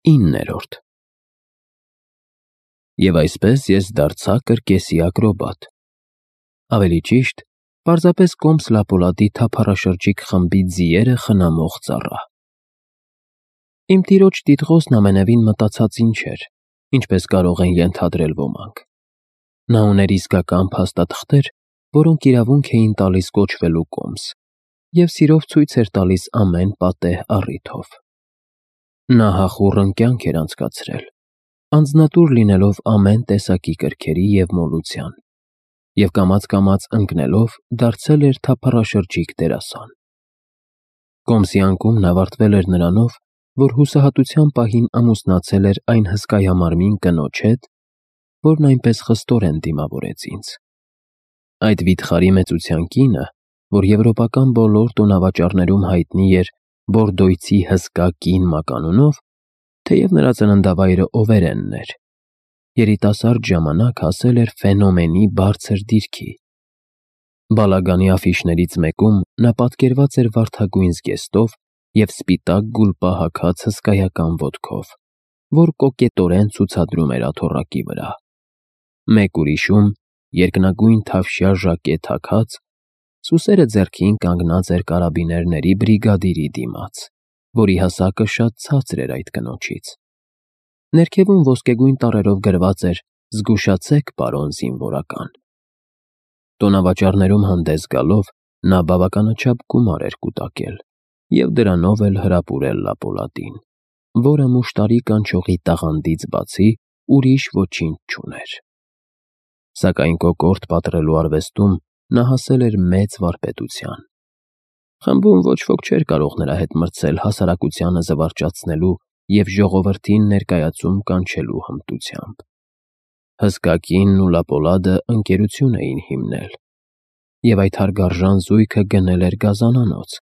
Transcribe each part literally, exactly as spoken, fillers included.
Իններորդ Եվ այսպես ես դարձա կրկեսի ակրոբատ, ավելի ճիշտ, պարզապես Կոմս Լապոլադի թափառաշրջիկ խմբի ձիերը խնամող ծառա։ Իմ տիրոջ տիտղոսն ամենևին մտածածին չէր, ինչպես կարող են ենթադրել ոմանք։ Նա ուներ իսկական փաստաթղթեր, որոնք իրավունք էին տալիս կոչվելու Կոմս, և սիրով ցույց էր տալիս ամեն պատեհ առիթով։ Նա հախուռն կյանք էր անցկացրել, անձնատուր լինելով ամեն տեսակի կրքերի և մոլության, և կամաց-կամաց ընկնելով դարձել էր թափառաշրջիկ դերասան։ Կոմսի անկումն ավարտվել էր նրանով, որ հուսահատության պահին ամուսնացել էր այն հսկայամարմին կնոջ հետ, որն այնպես խստորեն դիմավորեց ինձ։ Այդ վիթխարի մեծության կինը, որ եվրոպական բոլոր տոնավաճառներում հայտնի էր Բորդոյցի հսկա կին մականունով, թեև նրա ծննդավայրը Օվերենն էր, երիտասարդ ժամանակ հասել էր ֆենոմենի բարձր դիրքի։ Բալագանի աֆիշներից մեկում նա պատկերված էր վարդագույն զգեստով և սպիտակ գուլպա հագած հսկայական ոտքով, որ կոկետորեն ցուցադրում էր աթոռակի վրա։ Մեկ ուրիշում, երկնագույն թավշյա ժակետ հագած, սուսերը ձեռքին կանգնած էր կարաբիներների բրիգադիրի դիմաց, որի հասակը շատ ցածր էր այդ կնոջից։ Ներքևում ոսկեգույն տառերով գրված էր «Զգուշացեք, պարոն զինվորական»։ Տոնավաճառներում հանդես գալով նա բավականաչափ գումար էր կուտակել և դրանով էլ հրապուրել Լապոլադին, որը մուշտարի կանչողի տաղանդից բացի ուրիշ ոչինչ չուներ։ Սակայն կոկորդ պատռելու արվեստում նա հասել էր մեծ վարպետության։ Խմբում ոչ ոք չէր կարող նրա հետ մրցել հասարակությանը զվարճացնելու և ժողովրդին ներկայացում կանչելու հմտությամբ։ Հսկա կինն ու Լապոլադը ընկերություն էին հիմնել, և այդ հարգարժան զույգը գնել էր գազանանոց,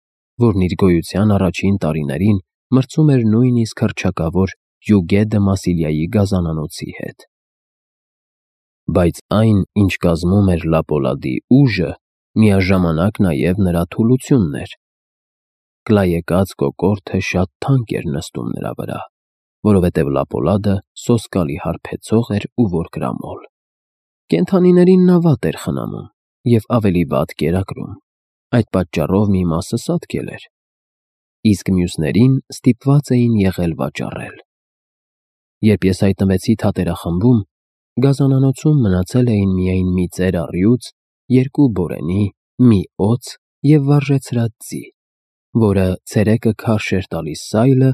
որն իր գոյության առաջին տարիներին մրցում էր նույնիսկ հռչակավոր Հյուգե դը Մասիլիայի գազանանոցի հետ։ Բայց այն, ինչ կազմում էր Լապոլադի ուժը, միաժամանակ նաև նրա թուլությունն էր։ Կլայեկած կոկորդը շատ թանկ էր նստում նրա վրա, որովհետև Լապոլադը սոսկալի հարբեցող էր ու որկրամոլ։ Կենդանիներին նա վատ էր խնամում և ավելի վատ կերակրում, այդ պատճառով մի մասը սատկել էր, իսկ մյուսներին ստիպված էին եղել վաճառել։ Երբ ես հայտնվեցի թատերախմբում, գազանանոցում մնացել էին միայն մի ծեր առյուծ, երկու բորենի, մի օձ և վարժեցրած ձի, որը ցերեկը քարշ էր տալիս սայլը,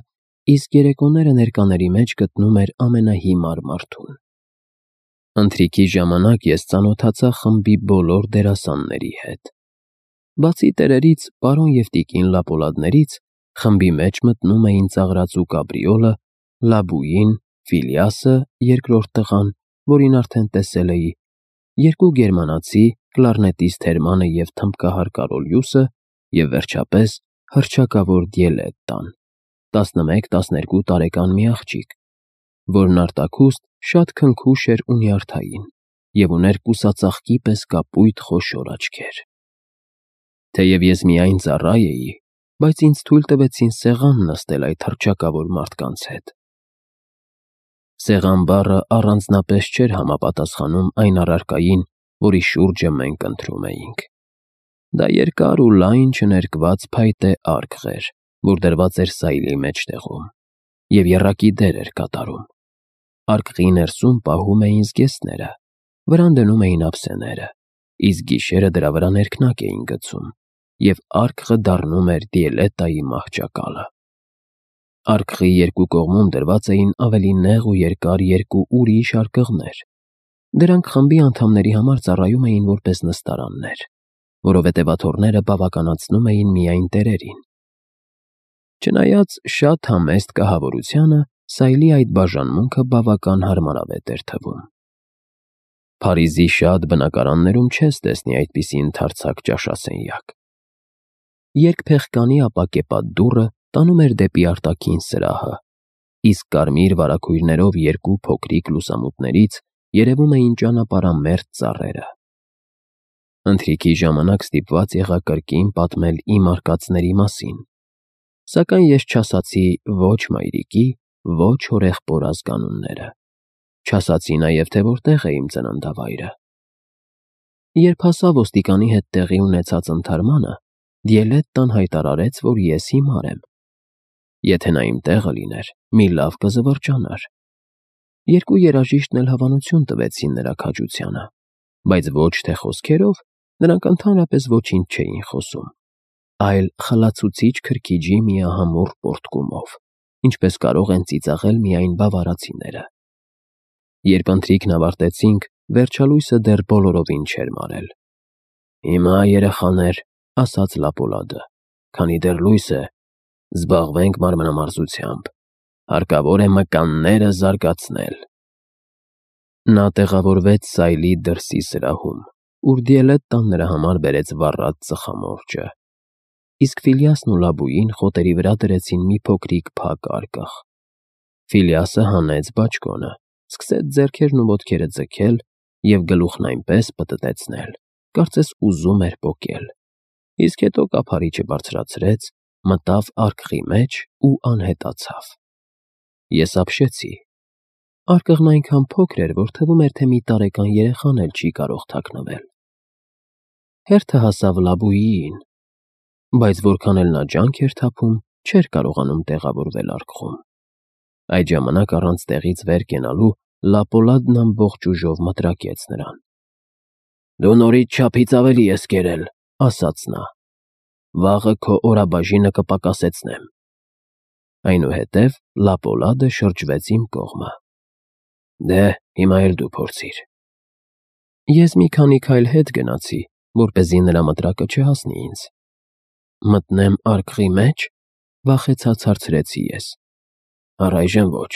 իսկ երեկոները ներկաների մեջ գտնում էր ամենահիմար մարդուն։ Ընթրիքի ժամանակ ես ծանոթացա խմբի բոլոր դերասանների հետ։ Բացի տերերից, պարոն և տիկին Լապոլադներից, խմբի մեջ մտնում էին ծաղրածու Կաբրիոլը, Լաբուին, Ֆիլիասը, երկրորդ տղան, որին արդեն տեսել էի, երկու գերմանացի, կլարնետիստ Հերմանը և թմբկահար Կարոլյուսը, և վերջապես հռչակավոր Դիելետտան, տասնմեկ֊տասներկու տարեկան մի աղջիկ, որն արտաքուստ շատ քնքուշ էր ու նյարդային և ուներ կուսածաղկի պես կապույտ խոշոր աչքեր։ Թեև ես միայն ծառա էի, բայց ինձ թույլ տվեցին սեղան նստել այդ հռչակավոր մարդկանց հետ։ Սեղան բառը առանձնապես չէր համապատասխանում այն առարկային, որի շուրջը մենք ընթրում էինք։ Դա երկար ու լայն չներկված փայտե արկղ էր, որ դրված էր սայլի մեջտեղում, և եռակի դեր էր կատարում։ Արկղի ներսում պահում էին զգեստները, վրան դնում էին ափսեները, իսկ գիշերը դրա վրա ներքնակ էին գցում, և արկղը դառնում էր Դիելետտայի մահճակալը։ Արկղի երկու կողմում դրված էին ավելի նեղ ու երկար երկու ուրիշ արկղներ։ Դրանք խմբի անդամների համար ծառայում էին որպես նստարաններ, որովհետև աթոռները բավականացնում էին միայն տերերին։ Չնայած շատ համեստ կահավորությանը, սայլի այդ բաժանմունքը բավական հարմարավետ էր թվում։ Փարիզի շատ բնակարաններում չես տեսնի այդպիսի ընդարձակ ճաշասենյակ։ Երկփեղկանի ապակեպատ դուռը տանում էր դեպի արտաքին սրահը, իսկ կարմիր վարագույրներով երկու փոքրիկ լուսամուտներից երևում էին ճանապարհամերձ ծառերը։ Ընթրիքի ժամանակ ստիպված եղա կրկին պատմել իմ արկածների մասին, սակայն ես չասացի ոչ մայրիկի, ոչ հորեղբոր ազգանունները։ Չասացի նաև, թե որտեղ է իմ ծննդավայրը։ Երբ հասա ոստիկանի հետ տեղի ունեցած ընդհարմանը, Դիելետտան հայտարարեց, որ ես հիմար եմ։ Եթե նա իմ տեղը լիներ, մի լավ կզվրջանար։ Երկու երաժիշտն էլ հավանություն տվեցին նրա քաջությանը, բայց ոչ թե խոսքերով, նրանք ընդհանրապես ոչինչ չէին խոսում, այլ խլացուցիչ քրքիջի միահամուռ պոռթկումով, ինչպես կարող են ծիծաղել միայն բավարարացիները։ Երբ ընթրիքն ավարտեցինք, վերջալույսը դեռ բոլորովին չէր մարել։ Հիմա, երեխաներ, ասաց Լապոլադը, քանի դեռ լույս է, զբաղվենք մարմնամարզությամբ, հարկավոր է մկանները զարգացնել։ Նա տեղավորվեց սայլի դրսի սրահում, ուր Դիելետտան նրա համար բերեց վառած ծխամորճը, իսկ Ֆիլիասն ու Լաբուին խոտերի վրա դրեցին մի փոքրիկ փակ արկղ։ Ֆիլիասը հանեց բաճկոնը, սկսեց ձեռքերն ու ոտքերը ձգել և գլուխն այնպես պտտեցնել, կարծես ուզում էր պոկել, իսկ հետո կափարիչը բարձրացրեց, մտավ արկղի մեջ ու անհետացավ։ Ես ապշեցի։ Արկղն այնքան փոքր էր, որ թվում էր, թե մի տարեկան երեխան էլ չի կարող թաքնվել։ Հերթը հասավ Լաբուիին, բայց որքան էլ նա ջանք էր թափում, չէր կարողանում տեղավորվել արկղում։ Այդ ժամանակ առանց տեղից վեր կենալու Լապոլադն ամբողջ ուժով մտրակեց նրան։ Դու նորից չափից ավելի ես կերել, ասաց նա։ Վաղը քո օրաբաժինը կպակասեցնեմ։ Այնուհետև Լապոլադը շրջվեց իմ կողմը։ Դե, հիմա էլ դու փորձիր։ Ես մի քանի քայլ հետ գնացի, որպեսզի նրա մտրակը չհասնի ինձ։ Մտնեմ արկղի մեջ, վախեցած հարցրեցի ես։ Առայժմ ոչ։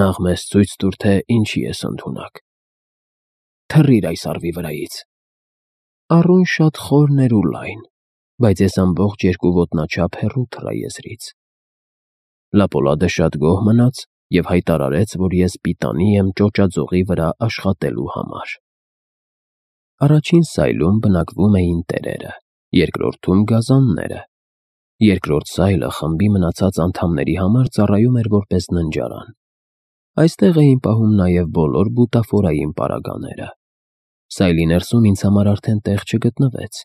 Նախ մեզ ցույց տուր, թե ինչի ես ընդունակ։ Թռիր այս առվի վրայից։ Առուն շատ խորն էր ու լայն, բայց ես ամբողջ երկու ոտնաչափ հեռու թռա եզրից։ Լապոլադը շատ գոհ մնաց և հայտարարեց, որ ես պիտանի եմ ճոճաձողի վրա աշխատելու համար։ Առաջին սայլում բնակվում էին տերերը, երկրորդում գազանները։ Երկրորդ սայլը խմբի մնացած անդամների համար ծառայում էր որպես ննջարան։ Այստեղ էին պահում նաև բոլոր բուտաֆորային պարագաները։ Սայլի ներսում ինձ համար արդեն տեղ չգտնվեց։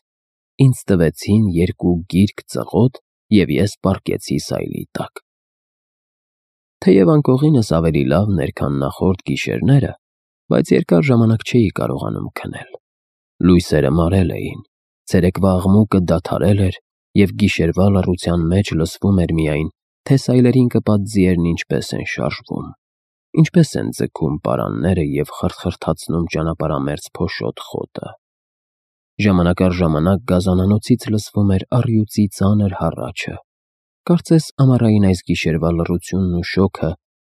Ինձ տվեցին երկու գիրք ծղոտ, և ես պառկեցի սայլի տակ։ Թեև անկողինս ավելի լավն էր, քան նախորդ գիշերները, բայց երկար ժամանակ չէի կարողանում քնել։ Լույսերը մարել էին, ցերեկվա աղմուկը դադարել էր, և գիշերվա լռության մեջ լսվում էր միայն, թե սայլերին կպած ձիերն ինչպես են շարժվում, ինչպես են ձգում պարանները և խրթխրթացնում ճանապարհամերձ փոշոտ խոտը։ Ժամանակ առ ժամանակ գազանանոցից լսվում էր առյուծի ծանր հառաչը։ Կարծես ամառային այս գիշերվա լռությունն ու շոգը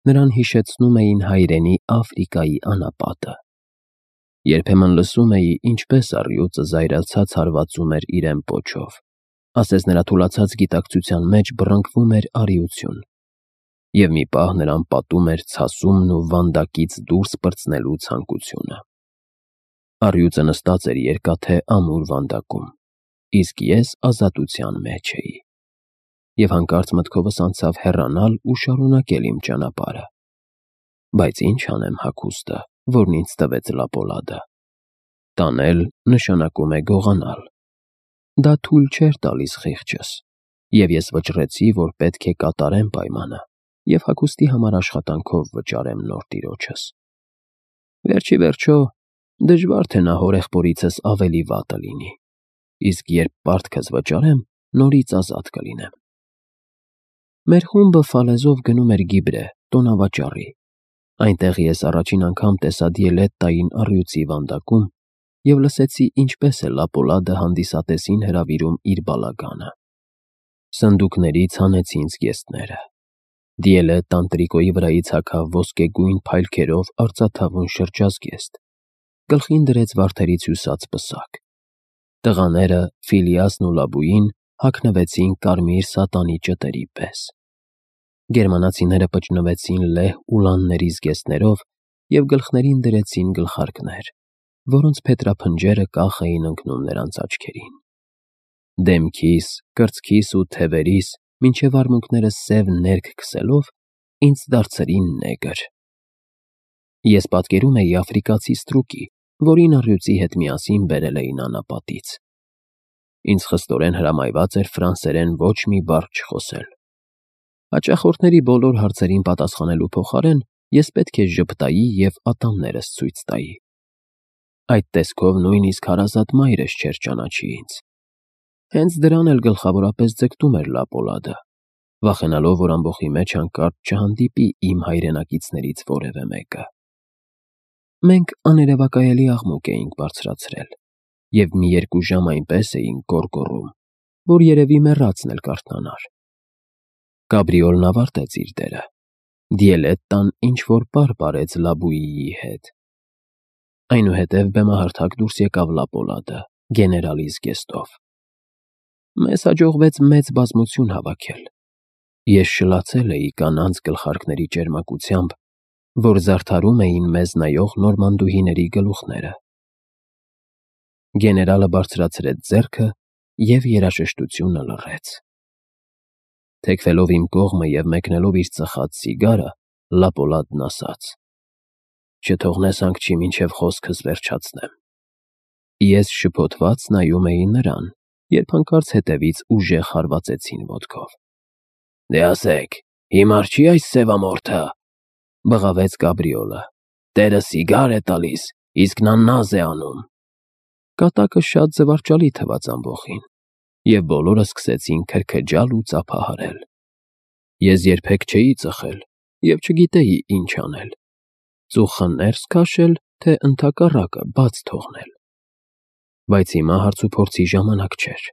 նրան հիշեցնում էին հայրենի Աֆրիկայի անապատը։ Երբեմն լսում էի, ինչպես առյուծը զայրացած հարվածում էր իրեն պոչով, ասես նրա թուլացած գիտակցության մեջ բռնկվում էր արիություն, և մի պահ նրան պատում էր ցասումն ու վանդակից դուրս պրծնելու ցանկությունը։ Առյուծը նստած էր երկաթե ամուր վանդակում, իսկ ես ազատության մեջ էի, և հանկարծ մտքովս անցավ հեռանալ ու շարունակել իմ ճանապարհը։ Բայց ինչ անեմ հագուստը, որն ինձ տվեց Լապոլադը։ Տանել նշանակում է գողանալ։ Դա թույլ չէր տալիս խիղճս, և ես վճռեցի, որ պետք է կատարեմ պայմանը և հագուստի համար աշխատանքով վճարեմ նոր տիրոջս։ Վերջ ի վերջո, դժվար թե նա հորեղբորիցս ավելի վատը լինի, իսկ երբ պարտքս վճարեմ, նորից ազատ կլինեմ։ Մեր խումբը Ֆալեզով գնում էր Գիբրե, տոնավաճառի։ Այնտեղ ես առաջին անգամ տեսա Դիելետտային առյուծի վանդակում և լսեցի, ինչպես է Լապոլադը հանդիսատեսին հրավիրում իր բալագանը։ Սնդուկներից հանեցին զգեստները։ Դիելետտան տրիկոյի վրայից հագավ ոսկեգույն փայլքերով արծաթավուն շրջազգեստ, գլխին դրեց վարդերից հյուսած պսակ։ Տղաները, Ֆիլիասն ու Լաբուին հագնվեցին կարմիր սատանի ճտերի պես։ Գերմանացիները պճնվեցին լեհ ուլանների զգեստներով և գլխներին դրեցին գլխարկներ, որոնց փետրափնջերը կախ էին ընկնում նրանց աչքերին։ Դեմքիս, կրծքիս ու թևերիս, մինչև արմունկներս սև ներք քսելով, ինձ դարձրին նեգր։ Ես պատկերում էի աֆրիկացի ստրուկի, որին առյուծի հետ միասին բերել էին անապատից։ Ինձ խստորեն հրամայված էր ֆրանսերեն ոչ մի բառ չխոսել։ Հաճախորդների բոլոր հարցերին պատասխանելու փոխարեն ես պետք է ժպտայի և ատամներս ցույց տայի։ Այդ տեսքով նույնիսկ հարազատ մայրս չէր ճանաչի ինձ։ Հենց դրան էլ գլխավորապես ձգտում էր Լապոլադը, վախենալով, որ ամբոխի մեջ հանկարծ չհանդիպի իմ հայրենակիցներից որևէ մեկը։ Մենք աներևակայելի աղմուկ էինք բարձրացրել և մի երկու ժամ այնպես էինք գոռգոռում, որ երևի մեռածն էլ կարթնանար։ Կաբրիոլն ավարտեց իր դերը։ Դիելետտան ինչ-որ պար պարեց Լաբույիի հետ։ Այնուհետև բեմահարթակ դուրս եկավ Լապոլադը, գեներալի զգեստով։ Մեզ հաջողվեց մեծ բազմություն հավաքել։ Ես շլացել էի կանանց գլխարկների ճերմակությամբ, որ զարդարում էին մեզ նայող նորմանդուհիների գլուխները։ Գեներալը բարձրացրեց ձեռքը և երաժշտությունը լռեց։ Թեքվելով իմ կողմը և մեկնելով իր ծխած սիգարը, Լապոլադն ասաց. «Չթողնես հանգչի, մինչև խոսքս վերջացնեմ»։ Ես շփոթված նայում էի նրան, երբ հանկարծ հետևից ուժեղ հարվածեցին ոտքով։ «Դե ասեք, հիմար չի՞ այս սևամորթը», բղավեց Կաբրիոլը։ «Տերը սիգար է տալիս, իսկ նա նազ է անում»։ Կատակը շատ զվարճալի թվաց ամբոխին, և բոլորը սկսեցին քրքջալ ու ծափահարել։ Ես երբեք չէի ծխել և չգիտեի ինչ անել՝ ծուխը ներս քաշել, թե ընդհակառակը բաց թողնել։ Բայց հիմա հարցուփորձի ժամանակ չէր։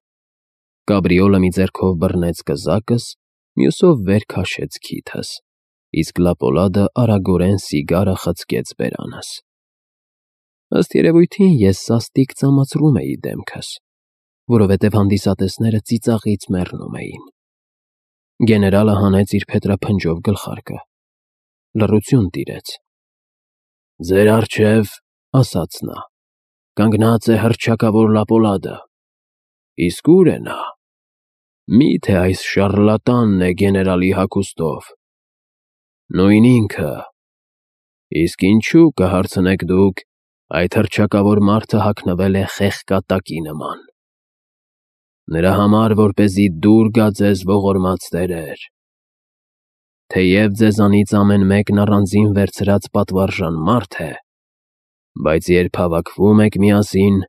Կաբրիոլը մի ձեռքով բռնեց կզակս, մյուսով վեր քաշեց քիթս, իսկ Լապոլադը արագորեն սիգարը խցկեց բերանս։ Ըստ երևույթին ես սաստիկ ծամացրում էի դեմքս, որովհետև հանդիսատեսները ծիծաղից մեռնում էին։ Գեներալը հանեց իր փետրափնջով գլխարկը։ Լռություն տիրեց։ «Ձեր առջև, — ասաց նա, — կանգնած է հռչակավոր Լապոլադը։ Իսկ ո՞ւր է նա։ Մի՞թե այս շառլատանն է գեներալի հագուստով։ Նույն ինքը։ Իսկ ինչու, կհարցնեք դուք, այդ հռչակավոր մարդը հագնվել է խեղկատակի նման։ Նրա համար, որպեսզի դուր գա ձեզ ողորմած տերեր։ Թեև ձեզանից ամեն մեկն առանձին վերցրած պատվարժան մարդ է, բայց երբ հավաքվում եք միասին,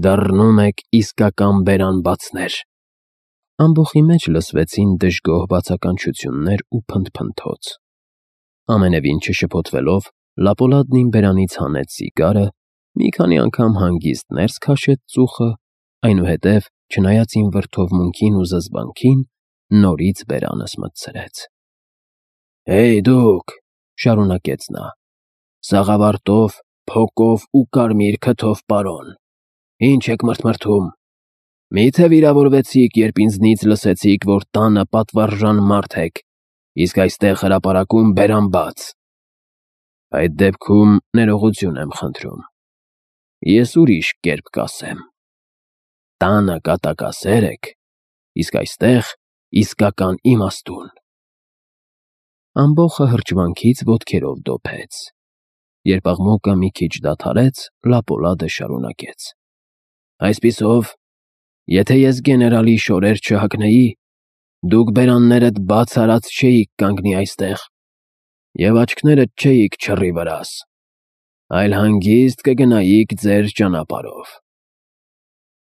դառնում եք իսկական բերանբացներ»։ Ամբոխի մեջ լսվեցին դժգոհ բացականչություններ ու փնթփնթոց։ Ամենևին չշփոթվելով, Լապոլադն իմ բերանից հանեց սիգարը, մի քանի անգամ հանգիստ ներս քաշեց ծուխը, այնուհետև, չնայած իմ վրդովմունքին ու զզվանքին, նորից բերանս մտցրեց։ «Հեյ դուք, — շարունակեց նա, — սաղավարտով, փոկով ու կարմիր քթով պարոն, ինչ եք մրթմրթում։ Մի՞թե վիրավորվեցիք, երբ ինձնից լսեցիք, որ տանը պատվարժան մարդ եք, իսկ այստեղ հրապարակում բերանբաց։ Այդ դեպքում ներողություն եմ խնդրում։ Ես ուրիշ կերպ կասեմ. տանը կատակասեր եք, իսկ այստեղ իսկական իմաստուն»։ Ամբոխը հրճվանքից ոտքերով դոփեց։ Երբ աղմուկը մի քիչ դադարեց, Լապոլադը շարունակեց. «Այսպիսով, եթե ես գեներալի շորեր չհագնեի, դուք բերաններդ բաց արած չէիք կանգնի այստեղ և աչքներդ չէիք չռի վրաս, այլ հանգիստ կգնայիք ձեր ճանապարհով։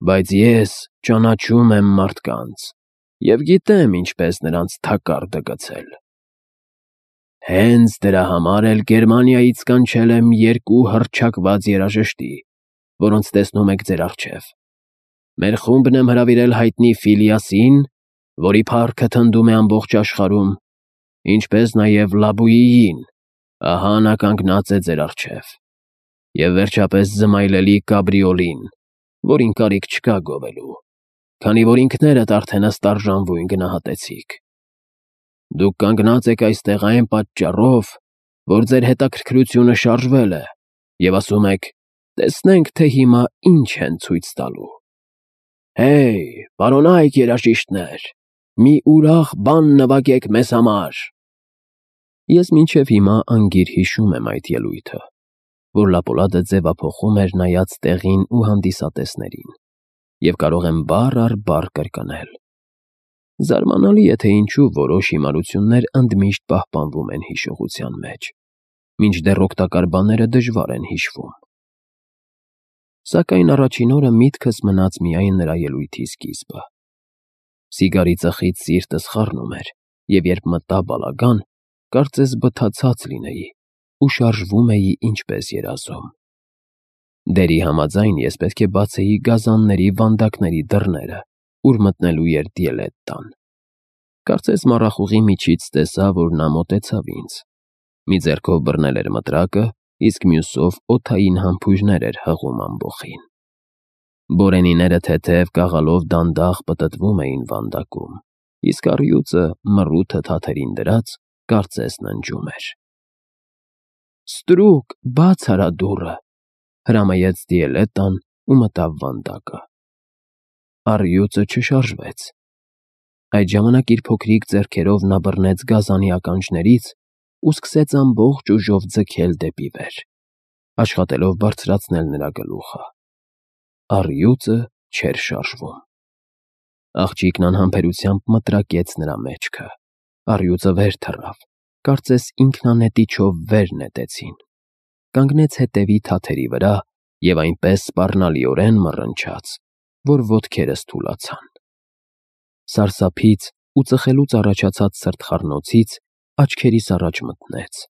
Բայց ես ճանաչում եմ մարդկանց և գիտեմ ինչպես նրանց թակարդը գցել։ Հենց դրա համար էլ Գերմանիայից կանչել եմ երկու հռչակված երաժշտի, որոնց տեսնում եք ձեր առջև։ Մեր խումբն եմ հրավիրել հայտնի Ֆիլիասին, որի փառքը թնդում է ամբողջ աշխարհում, ինչպես նաև Լաբույիին, ահա նա կանգնած է ձեր առջև, և վերջապես զմայլելի Կաբրիոլին, որին կարիք չկա գովելու, քանի որ ինքներդ արդեն ըստ արժանվույն գնահատեցիք։ Դուք կանգնած եք այստեղ այն պատճառով, որ ձեր հետաքրքրությունը շարժվել է, և ասում եք. տեսնենք, թե հիմա ինչ են ցույց տալու։ Հեյ, պարոնայք երաժիշտներ, մի ուրախ բան նվագեք մեզ համար»։ Ես մինչև հիմա անգիր հիշում եմ այդ ելույթը, որ Լապոլադը ձևափոխում էր նայած տեղին ու հանդիսատեսներին, և կարող եմ բառ առ բառ կրկնել. զարմանալի է, թե ինչու որոշ հիմարություններ ընդմիշտ պահպանվում են հիշողության մեջ, մինչդեռ օգտակար բաները դժվար են հիշվում։ Սակայն առաջին օրը միտքս մնաց միայն նրա ելույթի սկիզբը։ Սիգարի ծխից սիրտս խառնում էր, և երբ մտա բալագան, կարծես բթացած լինեի ու շարժվում էի ինչպես երազում։ Դերի համաձայն ես պետք է բացեի գազանների վանդակների դռները, ուր մտնելու էր Դիելետտան։ Կարծես մառախուղի միջից տեսա, որ նա մոտեցավ ինձ։ Մի ձեռքով բռնել էր մտրակը, իսկ մյուսով օդային համբույրներ էր հղում ամբոխին։ Բորենիները թեթև կաղալով դանդաղ պտտվում էին վանդակում, իսկ առյուծը, մռութը թաթերին դրած, կարծես ննջում էր։ «Ստրուկ, բաց արա դուռը», հրամայեց Դիելետտան ու մտավ վանդակը։ Առյուծը չշարժվեց։ Այդ ժամանակ իր փոքրիկ ձեռքերով նա բռնեց գազանի ականջներից ու սկսեց ամբողջ ուժով ձգել դեպի վեր, աշխատելով բարձրացնել նրա գլուխը։ Առյուծը չէր շարժվում։ Աղջիկն անհամբերությամբ մտրակեց նրա մեջքը։ Առյուծը վեր թռավ, կարծես ինքնանետիչով վեր նետեցին, կանգնեց հետևի թաթերի վրա և այնպես սպառնալիորեն մռնչաց, որ ոտքերս թուլացան։ Սարսափից ու ծխելուց առաջացած սրտխառնոցից աչքերիս առաջ մթնեց,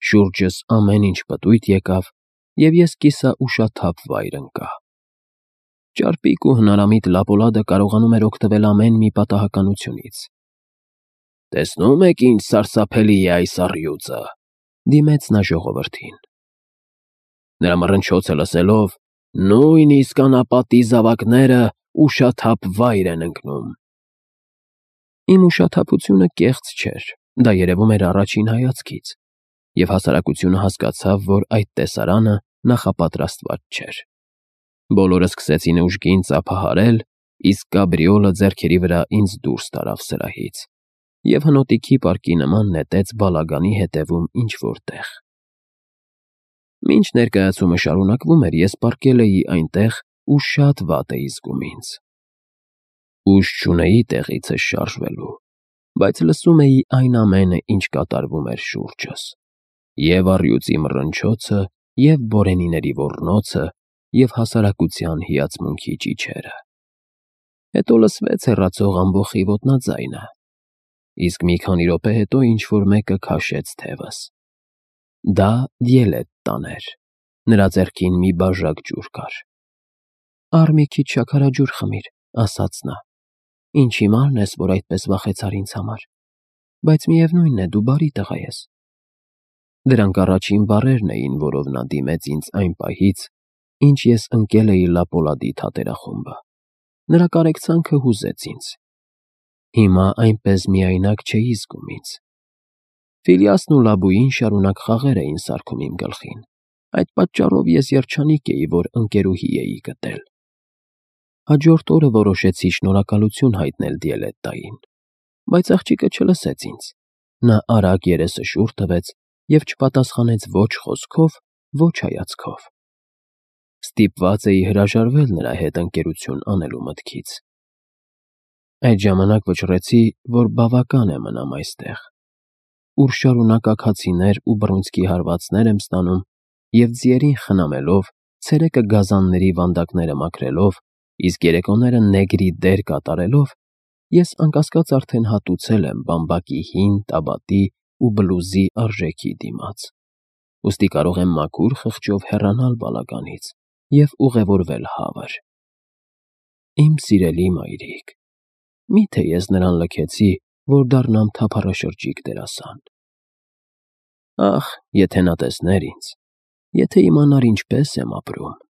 շուրջս ամեն ինչ պտույտ եկավ, և ես կիսաուշաթափ վայր ընկա։ Ճարպիկ ու հնարամիտ Լապոլադը կարողանում էր օգտվել ամեն մի պատահականությունից։ «Տեսնո՞ւմ եք ինչ սարսափելի է այս առյուծը», դիմեց նա ժողովրդին։ Նրա մռնչոցը լսելով, նույնիսկ անապատի զավակները ուշաթափ վայր են ընկնում։ Իմ ուշաթափությունը կեղծ չէր, դա երևում էր առաջին հայացքից, և հասարակությունը հասկացավ, որ այդ տեսարանը նախապատրաստված չէր։ Բոլորը սկսեցին ուժգին ծափահարել, իսկ կաբրիոլը ձեռքերի վրա ինձ դուրս տարավ սրահից և հնոտիքի պարկի նման նետեց բալագանի ետևում ինչ֊որ տեղ։ Մինչ ներկայացումը շարունակվում էր, ես պառկել էի այնտեղ ու շատ վատ էի զգում ինձ։ Ուժ չունեի տեղիցս շարժվելու, բայց լսում էի այն ամենը, ինչ կատարվում էր շուրջս, և առյուծի մռնչոցը, և բորենիների ոռնոցը, և հասարակության հիացմունքի ճիչերը։ Հետո լսվեց հեռացող ամբոխի ոտնաձայնը, իսկ մի քանի րոպե հետո ինչ֊որ մեկը քաշեց թևս։ Դա Դիելետտան էր, նրա ձեռքին մի բաժակ ջուր կար։ «Առ մի քիչ շաքարաջուր խմիր», ասաց նա։ «Ինչ հիմարն ես, որ այդպես վախեցար ինձ համար, բայց միևնույն է, դու բարի տղա ես»։ Դրանք առաջին բառերն էին, որով նա դիմեց ինձ այն պահից, ինչ ես ընկել էի Լապոլադի թատերախումբը։ Նրա կարեկցանքը հուզեց ինձ։ Հիմա այնպես միայնակ չէի զգում ինձ։ Ֆիլյասն ու Լաբույին շարունակ խաղեր էին սարքում իմ գլխին, այդ պատճառով ես երջանիկ էի, որ ընկերուհի էի գտել։ Հաջորդ օրը որոշեցի շնորհակալություն հայտնել Դիելետտային, բայց աղջիկը չլսեց ինձ։ Նա արագ երեսը շուռ տվեց և չպատասխանեց ոչ խոսքով, ոչ հայացքով։ Ստիպված էի հրաժարվել նրա հետ ընկերություն անելու մտքից։ Այդ ժամանակ վճռեցի, որ բավական է մնամ այստեղ, ուր շարունակ աքացիներ ու բռունցքի հարվածներ եմ ստանում և ձիերին խնամելով, ցերեկը գազանների վանդակները մաքրելով, իսկ երեկոները նեգրի դեր կատարելով, ես անկասկած արդեն հատուցել եմ բամբակի հին տաբատի ու բլուզի արժեքի դիմաց, ուստի կարող եմ մաքուր խղճով հեռանալ բալագանից և ուղևորվել հավր։ Իմ սիրելի մայրիկ, մի՞թե ես նրան լքեցի, որ դառնամ թափառաշրջիկ դերասան։ Ախ, եթե նա տեսներ ինձ, եթե իմանար ինչպես եմ ապրում։